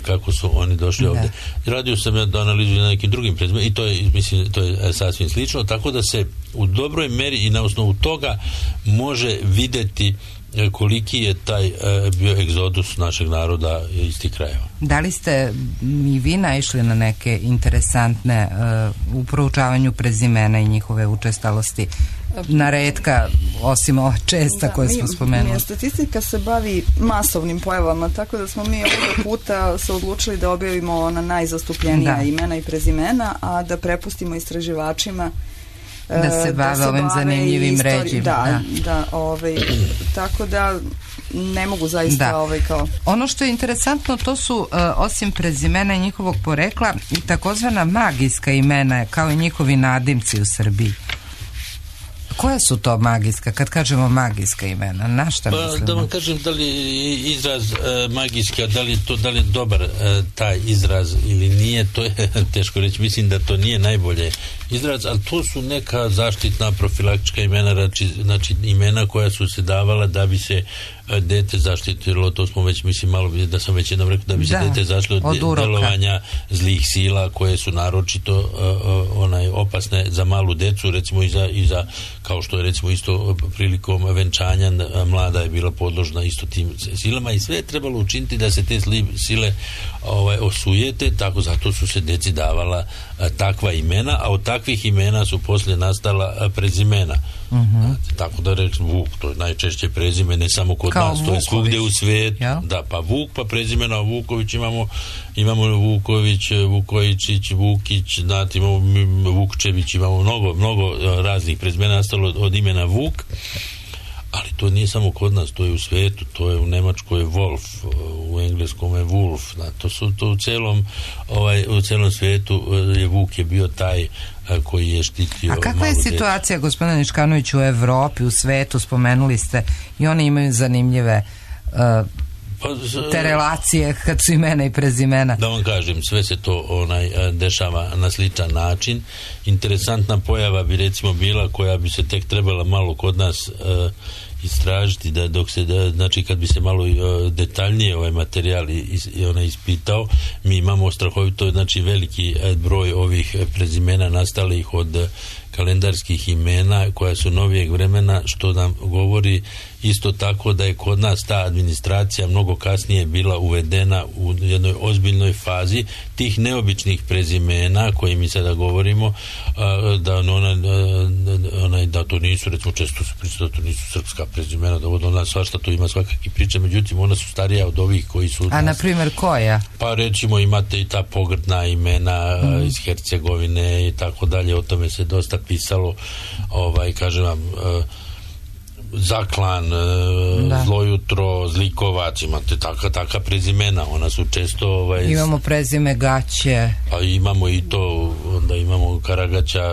kako su oni došli ovdje. Radio sam ja da analizujem na nekim drugim prezimenima i to je, mislim, to je sasvim slično, tako da se u dobroj meri i na osnovu toga može videti koliki je taj bio egzodus našeg naroda iz tih krajeva. Da li ste i vi naišli na neke interesantne u proučavanju prezimena i njihove učestalosti na retka, osim ova česta koje smo spomenuli? Statistika se bavi masovnim pojavama, tako da smo mi ovog puta se odlučili da objavimo ona najzastupljenija imena i prezimena, a da prepustimo istraživačima da se bave ovim zanimljivim ređima. Tako da ne mogu zaista kao... Ono što je interesantno, to su osim prezimena i njihovog porekla i takozvana magijska imena, kao i njihovi nadimci u Srbiji. Koja su to magijska, kad kažemo magijska imena, na šta mislimo? Da vam kažem, da li izraz magijska, da li je dobar taj izraz ili nije, to je teško reći. Mislim da to nije najbolje izraz, ali to su neka zaštitna profilaktička imena, znači imena koja su se davala da bi se dete zaštitilo, to smo već, mislim, malo da sam već jednom rekao, da bi se dete zaštitilo od delovanja zlih sila koje su naročito opasne za malu decu, recimo i za kao što je recimo isto prilikom venčanja mlada je bila podložna isto tim silama, i sve je trebalo učiniti da se te sile osujete, tako zato su se deci davala takva imena, a od takvih imena su poslije nastala prezimena. Tako da reći Vuk, to je najčešće prezime, ne samo kod nas, to je svugdje u svijetu. Da, pa Vuk, pa prezimena Vuković imamo Vuković, Vukojičić, Vukić, znate, imamo Vukčević, imamo mnogo raznih prezimena nastalo od imena Vuk, ali to nije samo kod nas, to je u svijetu, to je u Nemačkoj je Wolf, u engleskom je Wolf, to u celom svijetu je Vuk je bio taj koji je štitio. A kakva je situacija, gospodine Niškanović, u Evropi, u svetu, spomenuli ste, i oni imaju zanimljive te relacije kad su imena i prezimena? Da vam kažem, sve se to dešava na sličan način. Interesantna pojava bi recimo bila, koja bi se tek trebala malo kod nas istražiti, znači kad bi se malo detaljnije ovaj materijal ispitao, mi imamo strahovito, znači veliki broj ovih prezimena nastalih od kalendarskih imena koja su novijeg vremena, što nam govori isto tako da je kod nas ta administracija mnogo kasnije bila uvedena u jednoj ozbiljnoj fazi tih neobičnih prezimena koje mi sada govorimo, da to nisu, recimo često se priča da to nisu srpska prezimena, da od nas svašta tu ima svakakih priča, međutim ona su starija od ovih koji su... A na primjer koja? Pa recimo imate i ta pogrdna imena iz Hercegovine i tako dalje, o tome se dosta pisalo, kažem vam, Zaklan, Zlojutro, Zlikovac, imate taka prezimena, ona su često... Imamo prezime Gaće. Pa imamo i to, onda imamo Karagaća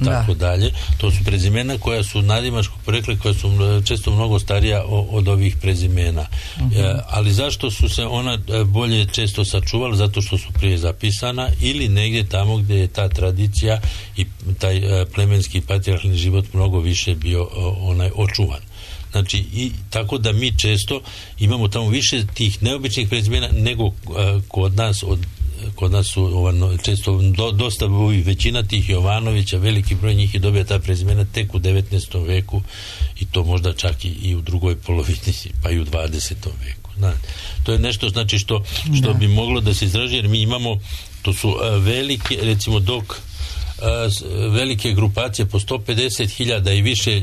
tako dalje. To su prezimena koja su nadimačkog porekla, koja su često mnogo starija od ovih prezimena. Ali zašto su se ona bolje često sačuvala? Zato što su prije zapisana ili negdje tamo gdje je ta tradicija i taj plemenski patrijarhalni život mnogo više bio očuvan. Znači, i tako da mi često imamo tamo više tih neobičnih prezimena nego kod nas su često dosta većina tih Jovanovića, veliki broj njih je dobio ta prezimena tek u 19. veku i to možda čak i u drugoj polovini, pa i u 20. veku. To je nešto znači što bi moglo da se izraži, jer mi imamo, to su velike, recimo dok velike grupacije po 150.000 i više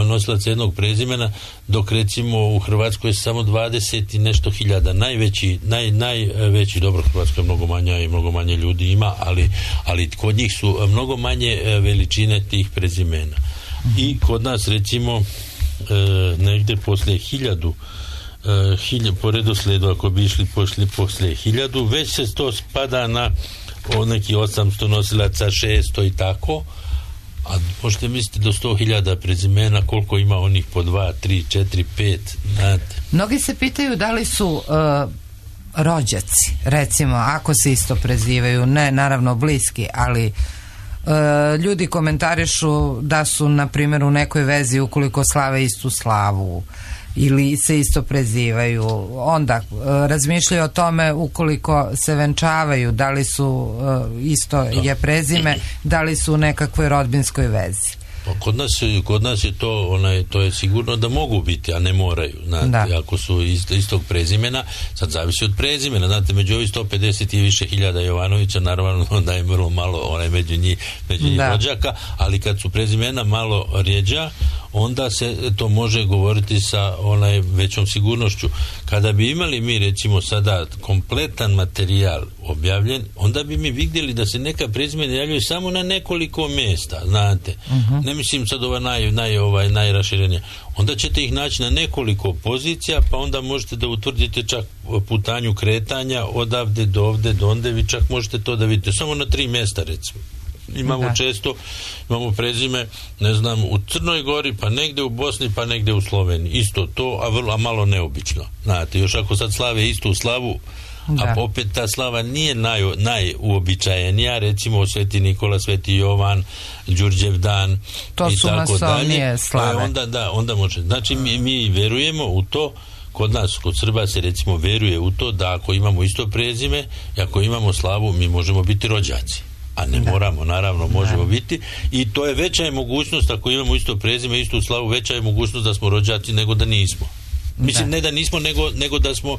nosilaca jednog prezimena, dok recimo u Hrvatskoj je samo 20 i nešto hiljada. Najveći, dobro, Hrvatska je mnogo manja i mnogo manje ljudi ima, ali kod njih su mnogo manje veličine tih prezimena. I kod nas recimo negdje poslije 1000 po redoslijedu, ako bi išli poslije 1000, već se to spada na neki 800 nosilaca, 600 i tako, a možete misliti do 100.000 prezimena, koliko ima onih po 2, 3, 4, 5, znate. Mnogi se pitaju da li su rođaci, recimo, ako se isto prezivaju, ne naravno bliski, ali ljudi komentarišu da su, na primjer, u nekoj vezi ukoliko slave istu slavu ili se isto prezivaju, onda razmišljaju o tome ukoliko se venčavaju, da li su isto je prezime, da li su u nekakvoj rodbinskoj vezi. Kod nas je to je sigurno da mogu biti, a ne moraju. Znate, ako su istog prezimena, sad zavisi od prezimena. Znate, među ovih 150 i više hiljada Jovanovića, naravno da je vrlo malo među njih rođaka, ali kad su prezimena malo rjeđa, onda se to može govoriti sa većom sigurnošću. Kada bi imali mi recimo sada kompletan materijal objavljen, onda bi mi vidjeli da se neka prezimena javljaju samo na nekoliko mjesta, znate. Ne mislim sad najraširenija. Onda ćete ih naći na nekoliko pozicija, pa onda možete da utvrdite čak putanju kretanja odavde do ovde, do onde, vi čak možete to da vidite samo na 3 mjesta recimo. Imamo prezime, ne znam, u Crnoj Gori, pa negdje u Bosni, pa negdje u Sloveniji. Isto to, a malo neobično. Znate, još ako sad slave istu slavu, a opet ta slava nije najuobičajenija, recimo Sveti Nikola, Sveti Jovan, Đurđev dan to i su tako dalje. Slave. Onda može. Znači mi verujemo u to. Kod nas, kod Srba se recimo veruje u to da ako imamo isto prezime i ako imamo slavu, mi možemo biti rođaci. A ne moramo, naravno, možemo biti, i to je veća je mogućnost, ako imamo isto prezime, istu slavu, veća je mogućnost da smo rođaci nego da nismo. Mislim, ne da nismo, nego da smo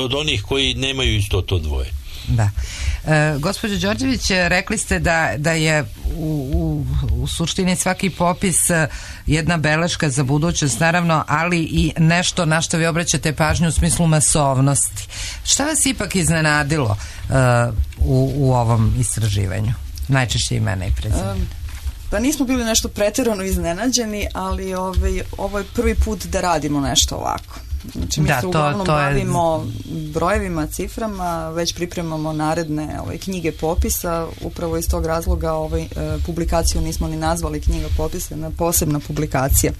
od onih koji nemaju isto to dvoje. Da. Gospođo Đorđević, rekli ste da je u suštini svaki popis jedna beleška za budućnost, naravno, ali i nešto na što vi obraćate pažnju u smislu masovnosti. Šta vas ipak iznenadilo u ovom istraživanju? Najčešće imena i prezimena. Pa nismo bili nešto pretjerano iznenađeni, ali ovo je prvi put da radimo nešto ovako. Znači mi se uglavnom bavimo brojevima, ciframa, već pripremamo naredne knjige popisa, upravo iz tog razloga publikaciju nismo ni nazvali knjiga popisa, na posebna publikacija.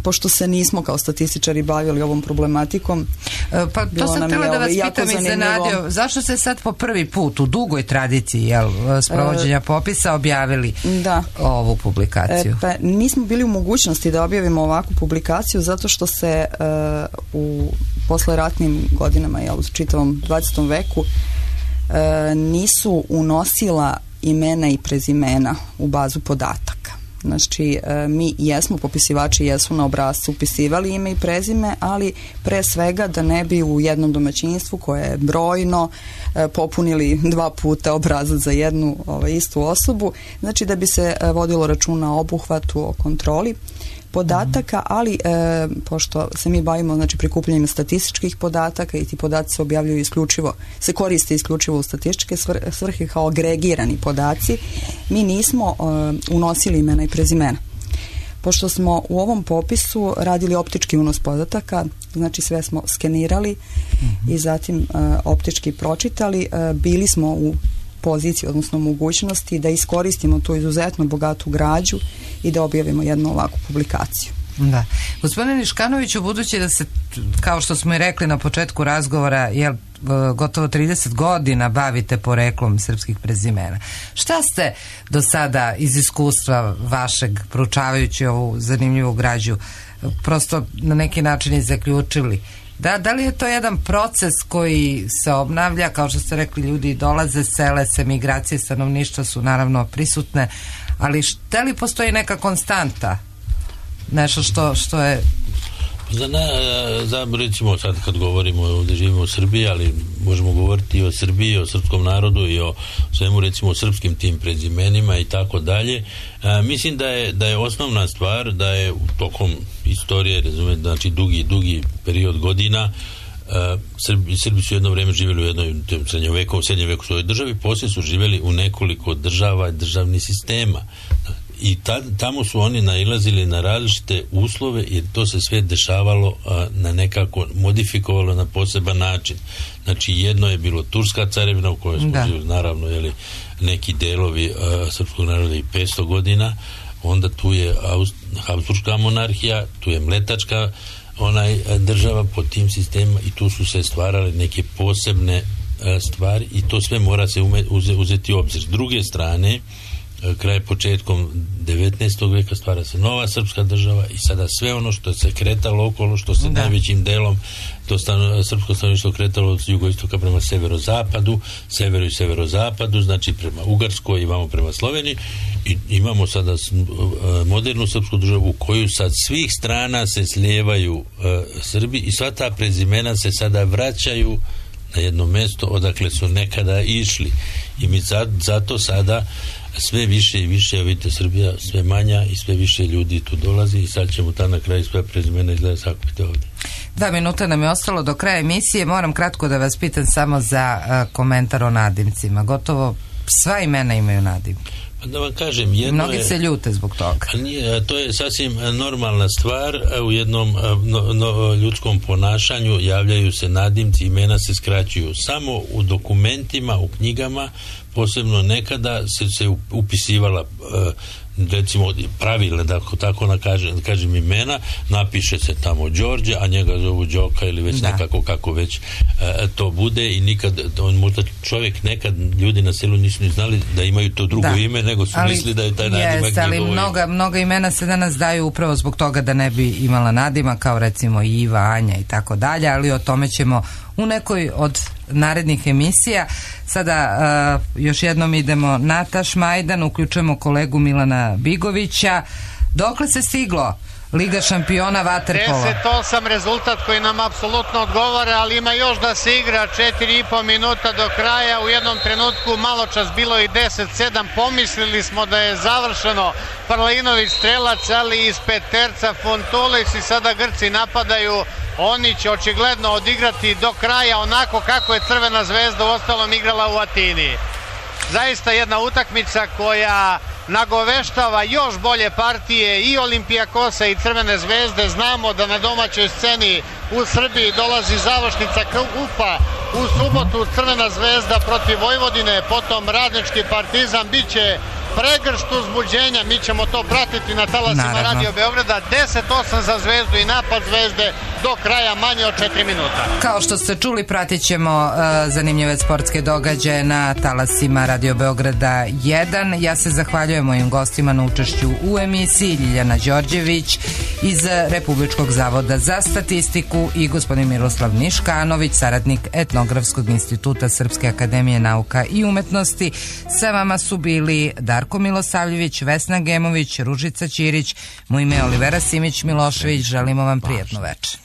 Pošto se nismo kao statističari bavili ovom problematikom. Pa to sam htjela da vas pitam iznenadio, zašto se sad po prvi put u dugoj tradiciji sprovođenja popisa objavili ovu publikaciju? Pa nismo bili u mogućnosti da objavimo ovakvu publikaciju zato što se u posleratnim godinama, u čitavom 20. veku nisu unosila imena i prezimena u bazu podataka. Znači, mi jesmo, popisivači jesu na obrascu upisivali ime i prezime, ali pre svega da ne bi u jednom domaćinstvu koje je brojno popunili 2 puta obrazac za jednu istu osobu, znači da bi se vodilo računa o obuhvatu, o kontroli podataka, ali pošto se mi bavimo prikupljanjem statističkih podataka i ti podaci se objavljuju se koriste isključivo u statističke svrhe kao agregirani podaci, mi nismo unosili imena i prezimena. Pošto smo u ovom popisu radili optički unos podataka, znači sve smo skenirali i zatim optički pročitali, bili smo u pozicije, odnosno mogućnosti da iskoristimo tu izuzetno bogatu građu i da objavimo jednu ovakvu publikaciju. Da. Gospodine Niškanoviću, budući da se, kao što smo i rekli na početku razgovora, gotovo 30 godina bavite poreklom srpskih prezimena. Šta ste do sada iz iskustva vašeg, proučavajući ovu zanimljivu građu, prosto na neki način i zaključili? Da li je to jedan proces koji se obnavlja, kao što ste rekli, ljudi dolaze, sele se, migracije stanovništva su naravno prisutne, ali da li postoji neka konstanta? Nešto što je... Recimo sad kad govorimo, ovdje živimo u Srbiji, ali možemo govoriti i o Srbiji, o srpskom narodu i o svemu, recimo o srpskim tim prezimenima i tako dalje. Mislim da je osnovna stvar da je tokom istorije, razumete, znači dugi period godina, Srbi su jedno vrijeme živjeli u jednoj srednjem veku svojoj državi, poslije su živjeli u nekoliko država i državnih sistema. I tamo su oni nailazili na različite uslove jer to se sve dešavalo na nekako modifikovalo na poseban način. Znači jedno je bilo Turska carevina u kojoj smo živjeli naravno neki delovi srpskog naroda i 500 godina, onda tu je Habsburška monarhija, tu je Mletačka država pod tim sistemima i tu su se stvarale neke posebne stvari i to sve mora se uzeti u obzir. S druge strane, početkom 19. veka stvara se nova srpska država i sada sve ono što se kretalo okolo, što se najvećim delom to srpsko stanovništvo kretalo od jugoistoka prema severu i severozapadu, znači prema Ugarskoj i vamo prema Sloveniji, i imamo sada modernu srpsku državu u koju sad svih strana se slijevaju Srbi i sva ta prezimena se sada vraćaju na jedno mjesto odakle su nekada išli i mi zato sada sve više i više, vidite, Srbija sve manja i sve više ljudi tu dolazi i sad ćemo na kraju sve prezimena izgleda sakupiti ovdje. 2 minuta nam je ostalo do kraja emisije. Moram kratko da vas pitam samo za komentar o nadimcima. Gotovo sva imena imaju nadimke. Da vam kažem, mnogi se ljute zbog toga. To je sasvim normalna stvar. U jednom ljudskom ponašanju javljaju se nadimci, imena se skraćuju. Samo u dokumentima, u knjigama, posebno nekada se upisivala recimo pravilne, da tako kažem imena, napiše se tamo Đorđe, a njega zovu Đoka ili već nekako kako već to bude i nikad, možda čovjek nekad, ljudi na selu nisu ni znali da imaju to drugo ime, nego su mislili da je taj nadimak ali mnoga imena se danas daju upravo zbog toga da ne bi imala nadima, kao recimo Iva, Anja i tako dalje, ali o tome ćemo u nekoj od narednih emisija. Sada još jednom idemo na Tašmajdan, uključujemo kolegu Milana Bigovića. Dokle se stiglo? Liga šampiona vaterpola. 10-8 rezultat koji nam apsolutno odgovara, ali ima još da se igra 4,5 minuta do kraja. U jednom trenutku malo čas bilo i 10-7. Pomislili smo da je završeno. Parlinović strelac, ali iz peterca Funtulis i sada Grci napadaju. Oni će očigledno odigrati do kraja onako kako je Crvena zvezda uostalom igrala u Atini. Zaista jedna utakmica koja nagoveštava još bolje partije i Olimpijakosa i Crvene zvezde. Znamo da na domaćoj sceni u Srbiji dolazi završnica kupa u subotu, Crvena zvezda protiv Vojvodine, potom Radnički Partizan. Biće pregršt uzbuđenja, mi ćemo to pratiti na talasima Radio Beograda. 10-8 za Zvezdu i napad Zvezde do kraja manje od 4 minuta. Kao što ste čuli, pratit ćemo zanimljive sportske događaje na talasima Radio Beograda 1. Ja se zahvaljujem mojim gostima na učešću u emisiji, Ljiljana Đorđević iz Republičkog zavoda za statistiku i gospodin Miroslav Niškanović, saradnik Etnografskog instituta Srpske akademije nauka i umetnosti. Sa vama su bili Darko Milosavljević, Vesna Gemović, Ružica Ćirić. Moje ime je Olivera Simić Milošević. Želimo vam prijatnu večer.